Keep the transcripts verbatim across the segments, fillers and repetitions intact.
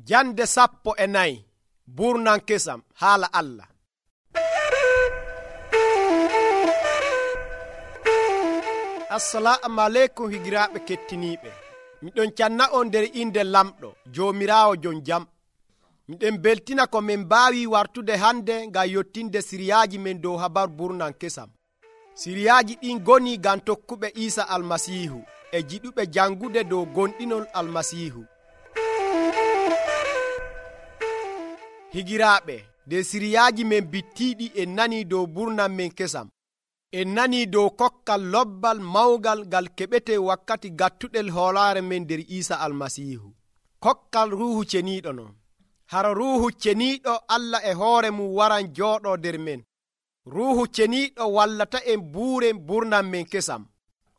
Jande sappo e nayi burnan kesam haala Allah. Assalamu aleykum higiraaɓe kettiniiɓe. Miɗon canna on nder inde lamɗo Joomiraawo jon jam. Miɗen beltina ko min mbaawi wartude hande ngam yottinde siriyaaji men dow habaru burnan kesam. Siriyaaji ɗin goni ngam tokkuɓe Iisa Almasiihu e jiɗuɓe jangude dow gonɗinol Almasiihu. Higiraaɓe, de siriyaaji men bittiiɗi en nani dow burnan men kesam. En nani dow kokkal lobbal mawgal ngal keɓete wakkati gattuɗel hoolaare men nder Iisa Almasiihu. Kokkal ruuhu ceniiɗo non. Hara ruuhu ceniiɗo Allah e hoore mum waran jooɗoo nder men. Ruuhu ceniiɗo wallata en buuren burnan men kesam.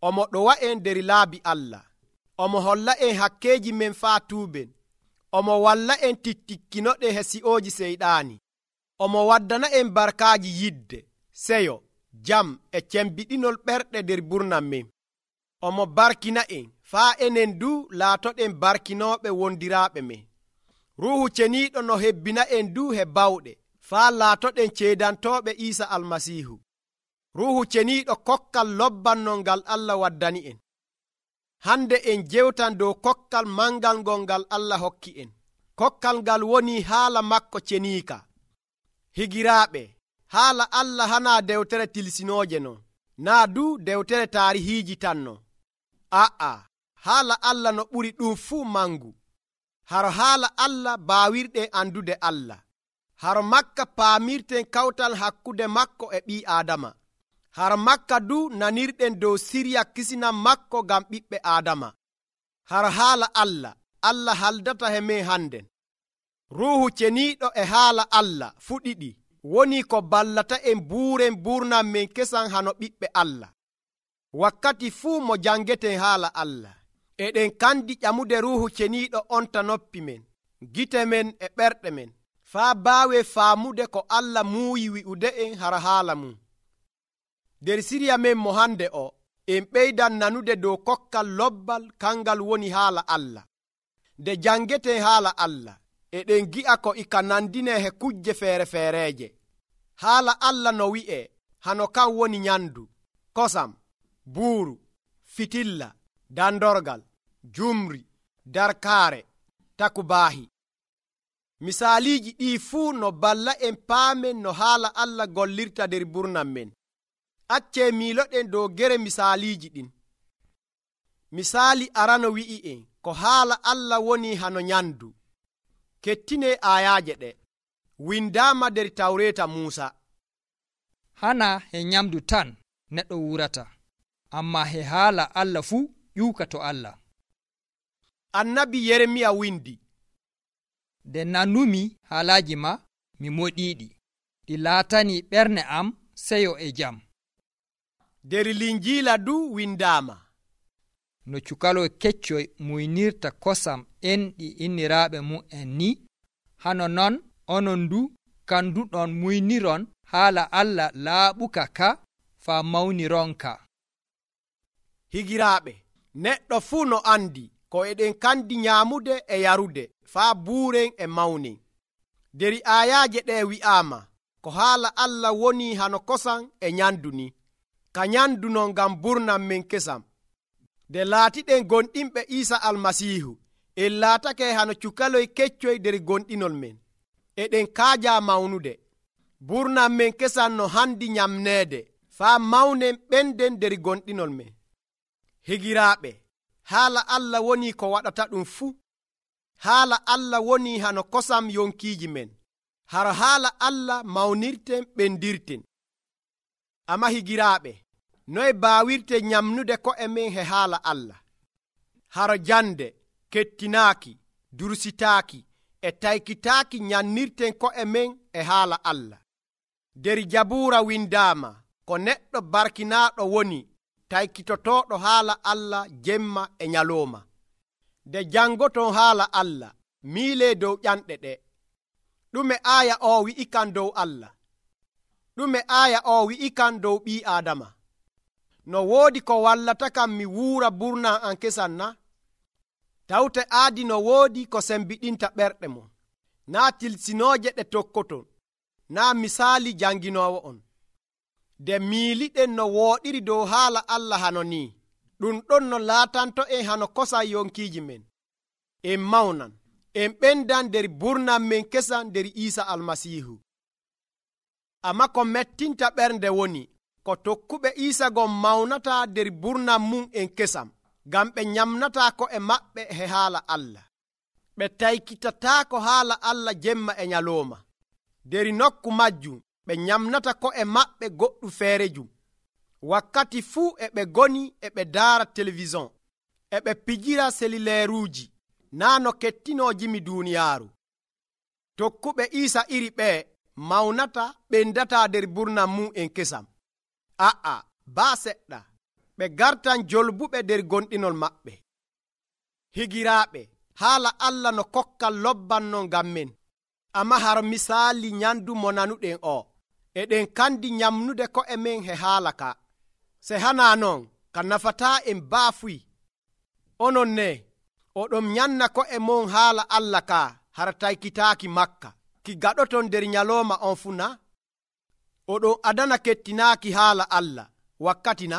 Omo ɗowa en nder laabi Allah. Omo holla en hakkeeji men faa tuuben. Omo walla en tittikkinoɗe he si'ooji seyɗaani. Omo waddana en barkaaji yidde, seyo, jam e cembiɗinol ɓerɗe nder burnan men. Omo barkina en faa enen du laatoɗen barkinooɓe wondiraaɓe men. Ruuhu ceniiɗo no hebbina en du he bawɗe faa laatoɗen ceedantooɓe Iisa Almasiihu. Ruuhu ceniiɗo kokkal lobbannol ngal Allah waddani en. Hande en jewtan dow kokkal mangal ngol ngal Allah hokki en. Kokkal ngal woni haala makko ceniika. Higiraaɓe, haala Allah hanaa dewtere tilsinooje non, naa du dewtere taarihiiji tan non. A'a, haala Allah no ɓuri ɗum fuu mangu. Haro haala Allah baawirɗen andude Allah. Haro makka paamirten kawtal hakkude makko e ɓii Aadama. Haro makka du nanirɗen dow siriya kisinan makko ngam ɓiɓɓe Aadama. Haro haala Allah, Allah haldata he men handen. Ruuhu ceniiɗo e haala Allah fu ɗiɗi woni ko ballata en buuren burnan men kesan hano ɓiɓɓe Allah. Wakkati fuu mo jangeten haala Allah, eɗen kandi ƴamude ruuhu ceniiɗo onta noppi men, gite men e ɓerɗe men, faa baawe faamude ko Allah muuyi wi'ude en hara haala mum. Nder siriya men mo hande o, en ɓeydan nanude dow kokkal lobbal kangal woni haala Allah. Nde jangeten haala Allah, eɗen gi'a ko ika nandine he kujje feere feereeje. Haala Allah no wi'e hano kan woni nyandu, kosam, buuru, fitilla, dandorgal, jumri, darkaare, takubaahi. Misaaliiji ɗii fuu no balla en paamen no haala Allah gollirta nder burnan men. Accee miiloɗen dow gere misaaliiji ɗin. Misaali arano wi'i en ko haala Allah woni hano nyandu. Kettine aayaaje ɗe. Windaama nder tawreeta Muusa. Hana he nyamdu tan neɗɗo wurata, amma he haala Allah fuu ƴuuka to Allah. Annabi Yeremiya windi. Nde nanumi haalaaji ma mi moɗiiɗi, ɗi laatani ɓernde am seyo e jam. Nder Linjiila du windaama. No cukaloy keccoy muynirta kosam enɗi inniraaɓe mum en ni, hano non onon du kanduɗon muyniron haala Allah laaɓuka ka faa mawnironka. Higiraaɓe, neɗɗo fuu no andi ko eɗen kandi nyaamude e yarude faa buuren e mawnen. Nder aayaaje ɗe wi'aama ko haala Allah woni hano kosam e nyandu ni. Ka nyandu non ngam burnan men kesam. Nde laatiɗen gonɗinɓe Iisa Almasiihu, en laatake hano cukaloy keccoy nder gonɗinol men. Eɗen kaaja mawnude. Burnan men kesam no handi nyamneede faa mawnen ɓenden nder gonɗinol men. Higiraaɓe, haala Allah woni ko waɗata ɗum fuu. Haala Allah woni hano kosam yonkiiji men. Haro haala Allah mawnirten ɓendirten. Amma higiraaɓe, noye baawirten nyamnude ko'e men he haala Allah? Haro jande, kettinaaki, dursitaaki e taykitaaki nyannirten ko'e men e haala Allah. Nder Jabuura windaama ko neɗɗo barkinaaɗo woni taykitotooɗo haala Allah jemma e nyalooma. Nde jangoton haala Allah, miilee dow ƴanɗe ɗe. Ɗume aaya o wi'ikan dow Allah? Ɗume aaya o wi'ikan dow ɓii Aadama? No woodi ko wallata kam mi wuura burnan an kesan na? tawte aadi no woodi ko sembiɗinta ɓerɗe mon, naa tilsinooje ɗe tokkoton, naa misaali janginoowo on. nde miiliɗen no wooɗiri dow haala Allah hano ni, ɗum ɗon no laatanto en hano kosan yonkiiji men. En mawnan, en ɓendan nder burnam men kesan nder Iisa Almasiihu. Ammaa ko mettinta ɓernde woni ko tokkuɓe Iisa gon mawnata nder burnam mum en kesam, ngam ɓe nyamnataa ko'e maɓɓe he haala Allah. ɓe taykitataako haala Allah jemma e nyalooma. nder nokku majjum ɓe nyamnata ko'e maɓɓe goɗɗu feerejum. wakkati fuu e ɓe goni e ɓe daara televison, e ɓe pijira selileeruuji, naa no kettinojimi duuniyaaru. tokkuɓe Iisa iri ɓee mawnata ɓendataa nder burnam mum en kesam. a'a baa seɗɗa, ɓe gartan jolbuɓe nder gonɗinol maɓɓe. higiraaɓe, haala Allah no kokkal lobbanno ngam men, ammaa har misaali nyandu mo nanuɗen o, eɗen kandi nyamnude ko'e men he haala ka. se hanaa non ka nafataa en baafuy. onon ne oɗon nyanna ko'e mon haala Allah ka har taykitaaki makka, ki gaɗoton nder nyalooma on fu na? oɗon adana kettinaaki haala Allah wakkati na?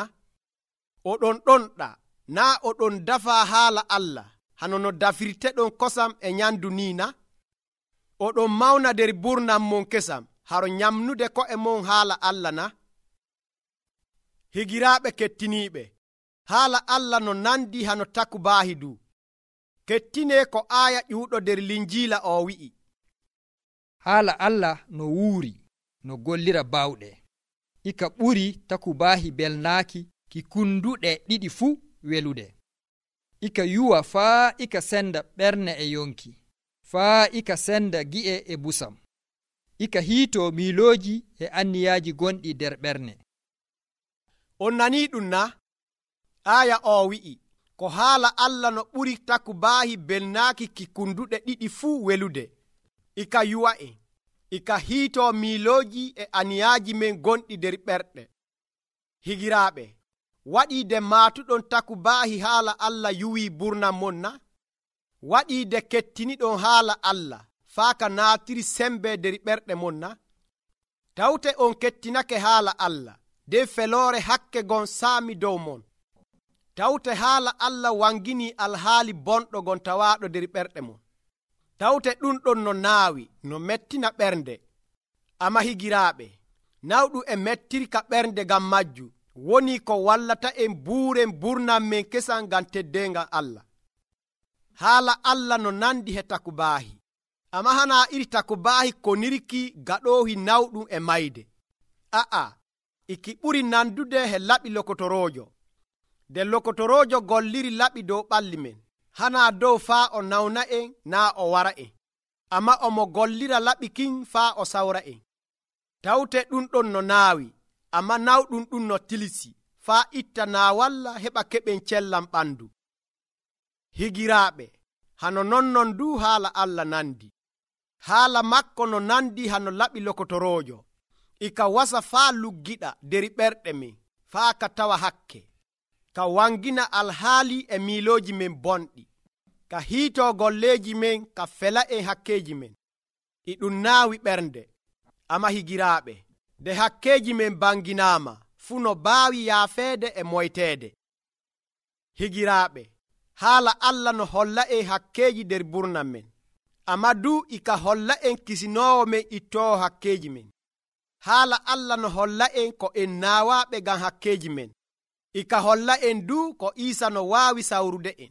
oɗon ɗonɗa, naa oɗon dafaa haala Allah hano no dafirteɗon kosam e nyandu ni na? oɗon mawna nder burnam mon kesam haro nyamnude ko'e mon haala Allah na? higiraaɓe kettiniiɓe, haala Allah no nandi hano takubaahi du. kettine ko aaya ƴuuɗo nder linjiila o wi'i. haala Allah no wuuri no gollira bawɗe, ika ɓuri takubaahi belnaaki ki kunduɗe ɗiɗi fuu welude. ika yuwa faa ika senda ɓerne e yonki, faa ika senda gi'e e busam, ika hiito miilooji e anniyaaji gonɗi nder ɓerne. on nanii ɗum na? aaya o wi'i ko haala Allah no ɓuri takubaahi belnaaki ki kunduɗe ɗiɗi fuu welude, ika yuwa en, ika hiito miilooji e aniyaaji men gonɗi nder ɓerɗe. higiraaɓe, waɗiide maatuɗon takubaahi haala Allah yuwii burnam mon na? waɗiide kettiniɗon haala Allah faa ka naatiri sembe nder ɓerɗe mon na? tawte on kettinake haala Allah nden feloore hakke gon saami dow mon. tawte haala Allah wangini alhaali bonɗo gon tawaaɗo nder ɓerɗe mon. tawte ɗum ɗon no naawi no mettina ɓernde. amma higiraaɓe, nawɗum e mettirka ɓernde ngam majju woni ko wallata en buuren burnam men kesan ngam teddeengal Allah. haala Allah no nandi he takubaahi, amma hana iri takubaahi ko nirki gaɗoohi nawɗum e mayde. a'a, iki ɓuri nandude he laɓi lokotoroojo. nde lokotoroojo golliri laɓi dow ɓalli men, hana dow faa o nawna en naa o wara en, amma omo gollira laɓi kin faa o sawra en. tawte ɗum ɗon no naawi, amma nawɗum ɗum no tilisi faa itta naawalla heɓa keɓen cellam ɓandu. higiraaɓe, hano nonnon du haala Allah nandi. haala makko no nandi hano laɓi lokotoroojo, ika wasa faa luggiɗa nder ɓerɗe men faa ka tawa hakke, ka wangina alhaali e miilooji men bonɗi, ka hiitoo golleeji men ka fela en hakkeeji men. e ɗum naawi ɓernde. amma higiraaɓe, nde hakkeeji men banginaama fuu no baawi yaafeede e moyteede. higiraaɓe, haala Allah no holla en hakkeeji nder burnam men, amma du ika holla en kisinoowo men ittoowo hakkeeji men. haala Allah no holla en ko en naawaaɓe ngam hakkeeji men, ika holla en du ko Iisa no waawi sawrude en.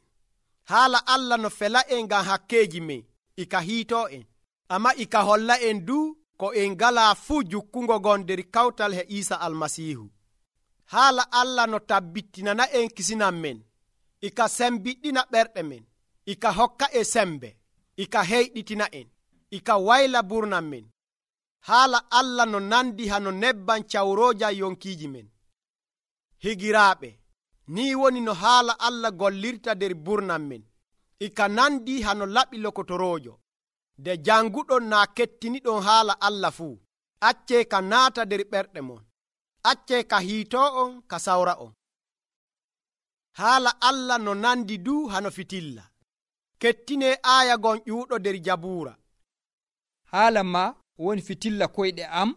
haala Allah no fela en ngam hakkeeji men, ika hiitoo en, amma ika holla en du ko en ngalaa fuu jukkungo gon nder kawtal he Iisa Almasiihu. haala Allah no tabbittinana en kisinam men, ika sembiɗɗina ɓerɗe men, ika hokka e sembe, ika heyɗitina en, ika wayla burnam men. haala Allah no nandi hano nebban cawrooja yonkiiji men. higiraaɓe, ni woni no haala Allah gollirta nder burnam men, ika nandi hano laɓi lokotoroojo. nde janguɗon naa kettiniɗon haala Allah fuu, accee ka naata nder ɓerɗe mon, accee ka hiitoo on ka sawra on. haala Allah no nandi du hano fitilla. kettine aya gon ƴuuɗo nder Jabuura. haala ma woni fitilla koyɗe am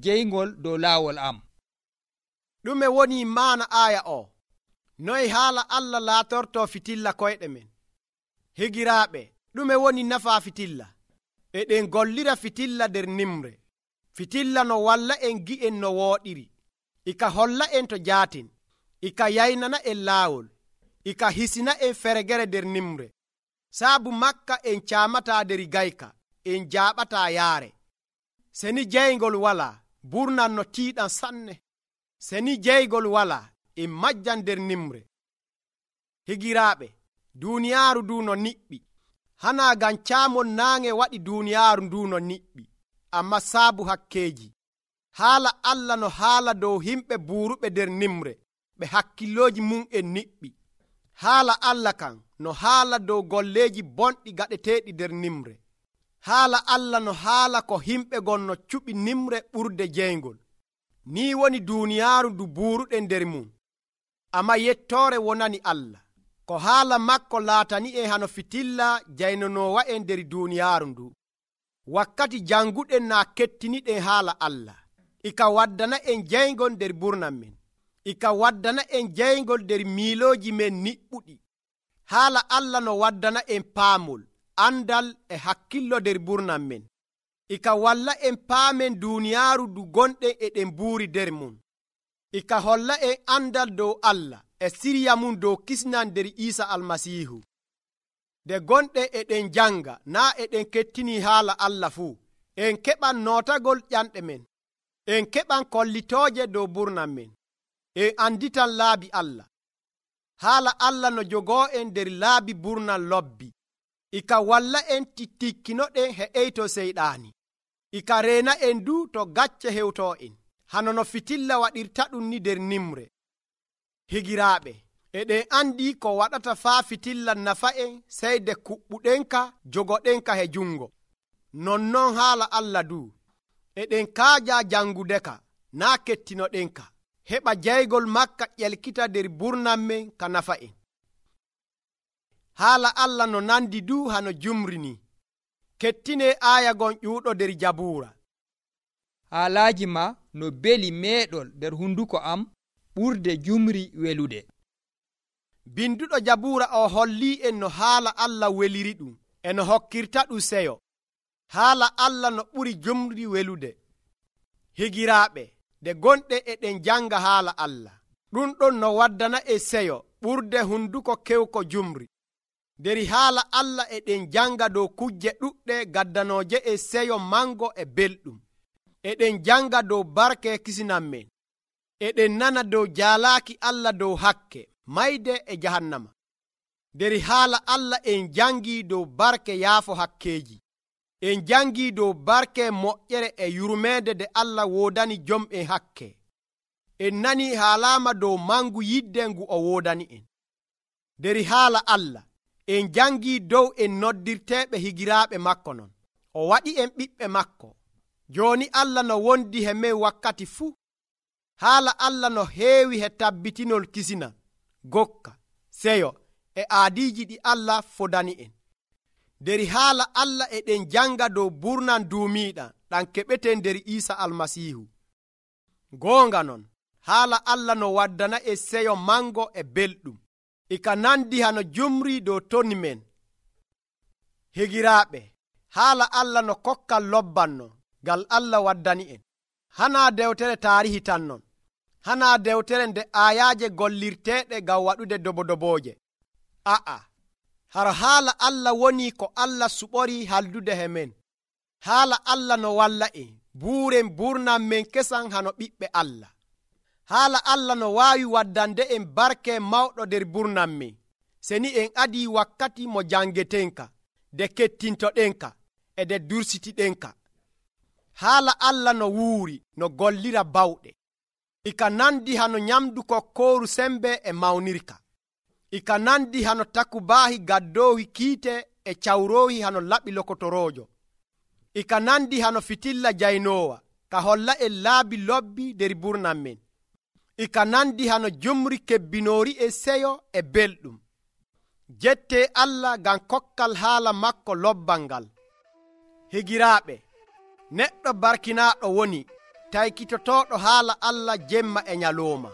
jeyngol dow laawol am. ɗume woni maana aya o? noy haala Allah laatorto fitilla koyɗe men? higiraaɓe, ɗume woni nafa fitilla? eɗen gollira fitilla nder nimre. fitilla no walla en gi'en no wooɗiri, ika holla en to jaaten, ika yaynana en laawol, ika hisina en feregere nder nimre. saabu makka en caamata nder gayka, en jaaɓata yaare. seni jeygol wala, burnan no tiiɗan sanne. seni jeygol wala, en majjan nder nimre. higiraaɓe, duuniyaaru ndu no niɓɓi, hana ngam caamol naange waɗi duuniyaaru ndu no niɓɓi, amma saabu hakkeeji. haala Allah no haala dow himɓe buuruɓe nder nimre, ɓe hakkillooji mum en niɓɓi. haala Allah kan no haala dow golleeji bonɗi gaɗeteeɗi nder nimre. haala Allah no haala ko himɓe gon no cuɓi nimre ɓurde jeyngol. ni woni duuniyaaru ndu buuruɗen nder mum, amma yettoore wonani Allah. ko haala makko laatani en hano fitilla jaynonoowa en nder duuniyaaru ndu. wakkati janguɗen naa kettiniɗen haala Allah, ika waddana en jeyngol nder burnan men, ika waddana en jeyngol nder miilooji men niɓɓuɗi. haala Allah no waddana en paamol, andal e hakkillo nder burnan men, ika walla en paamen duuniyaaru ndu gonɗen eɗen buuri nder mum, ika holla en andal dow Allah e sirya mum dow kisnan nder Iisa almasiihu. nde gonɗen eɗen janga naa eɗen kettini haala Allah fuu, en keɓan nootagol ƴanɗe men, en keɓan kollitooje dow burnan men, en anditan laabi Allah. haala Allah no jogoo en nder laabi burnan lobbi, ika walla en tittikkinoɗen he'eyto seyɗaani, ika reena en du to gacce hewtoo en, hano no fitilla waɗirta ɗum ni nder nimre. higiraaɓe, eɗen andi ko waɗata faa fitilla nafa en sey de kuɓɓuɗenka jogoɗenka he jungo. nonnon haala Allah du, eɗen kaaja jangudeka naa kettinoɗenka, heɓa jeygol makka ƴelkita nder burnan men ka nafa en. haala Allah no nandi du hano jumri ni. kettine aya gon ƴuuɗo nder Jabuura. haalaaji ma no beli meeɗol nder hunduko am ɓurde jumri welude. binduɗo Jabuura o holli en no haala Allah weliri ɗum e no hokkirta ɗum seyo. haala Allah no ɓuri jumri welude. higiraaɓe, nde gonɗe eɗen janga haala Allah, ɗum ɗon no waddana e seyo ɓurde hunduko kewko jumri. nder haala Allah eɗen janga dow kujje ɗuɗɗe gaddanooje e seyo mango e belɗum. eɗen janga dow barke kisinan men, eɗen nana dow jaalaaki Allah dow hakke, mayde e jahannama. nder haala Allah en jangi dow barke yaafo hakkeeji, en jangi dow barke moƴƴere e yurmeede de Allah woodani jom'en hakke. en nani haalama dow mangu yidde ngu o woodani en. nder haala Allah en jangi dow en noddirteɓe higiraaɓe makko non, o waɗi en ɓiɓɓe makko. joni Allah no wondi he men wakkati fuu. haala Allah no heewi he tabbitinol kisina, gokka, seyo e aadiiji ɗi Allah fodani en. nder haala Allah eɗen janga dow burnan duumiiɗan ɗan keɓeten nder Iisa almasiihu. goonga non, haala Allah no waddana e seyo mango e belɗum, ika nandi hano jumri dow toni men. higiraaɓe, haala Allah no kokkal lobbanno ngal Allah waddani en. hana dewtere taarihi tan non, hana dewtere nde ayaaje gollirteeɗe ngam waɗude dobodobooje. a'a, hara haala Allah woni ko Allah suɓori haldude he men. haala Allah no walla en buuren burnan men kesan hano ɓiɓɓe Allah. haala Allah no waawi waddande en barke mawɗo nder burnan men, seni en adi wakkati mo jangetenka, de kettintoɗenka e de dursitiɗenka. haala Allah no wuuri no gollira bawɗe, ika nandi hano nyamdu kokkooru sembe e mawnirka, ika nandi hano takubaahi gaddoohi kiite e cawroohi hano laɓi lokotoroojo, ika nandi hano fitilla jaynoowa ka holla en laabi lobbi nder burnan men, ika nandi hano jumri kebbinoori e seyo e belɗum. jette Allah ngam kokkal haala makko lobbal ngal. Higiraaɓe, neɗɗo barkinaaɗo woni taykitotoɗo haala Allah jemma e nyalooma.